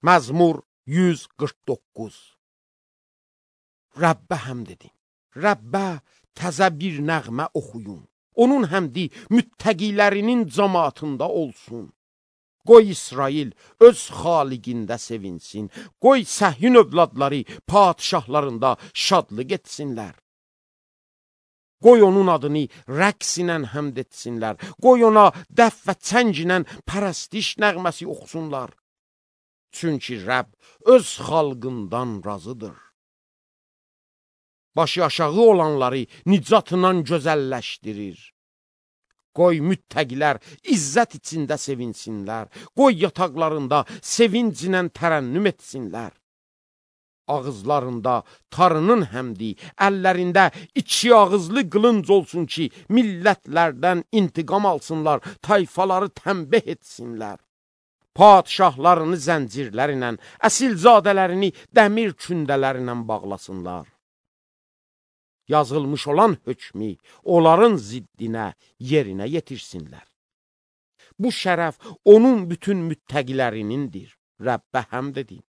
Məzmur 149. Rəbbə həmd edin. Rəbbə təzə bir nəğmə oxuyun. Onun həmdi müttəqilərinin cəmaatında olsun. Qoy İsrail öz xaliqində sevinsin. Qoy Səhyun övladları padişahlarında şadlıq etsinlər. Qoy onun adını rəqs ilə həmd etsinlər. Qoy ona dəf və çəng ilə pərəstiş nəğməsi oxusunlar. Çünki Rəbb öz xalqından razıdır. Başı aşağı olanları nicatla gözəlləşdirir. Qoy müttəqilər izzət içində sevinsinlər. Qoy yataqlarında sevinclə tərənnüm etsinlər. Ağızlarında tarının həmdi, əllərində iki ağızlı qılınc olsun ki, millətlərdən intiqam alsınlar, tayfaları tənbih etsinlər. Padişahlarını zəncirlərlə, əsilzadələrini dəmir kündələrlə bağlasınlar. Yazılmış olan hökmü onların ziddinə, yerinə yetirsinlər. Bu şərəf onun bütün müttəqilərinindir. Rəbbə həmd edin.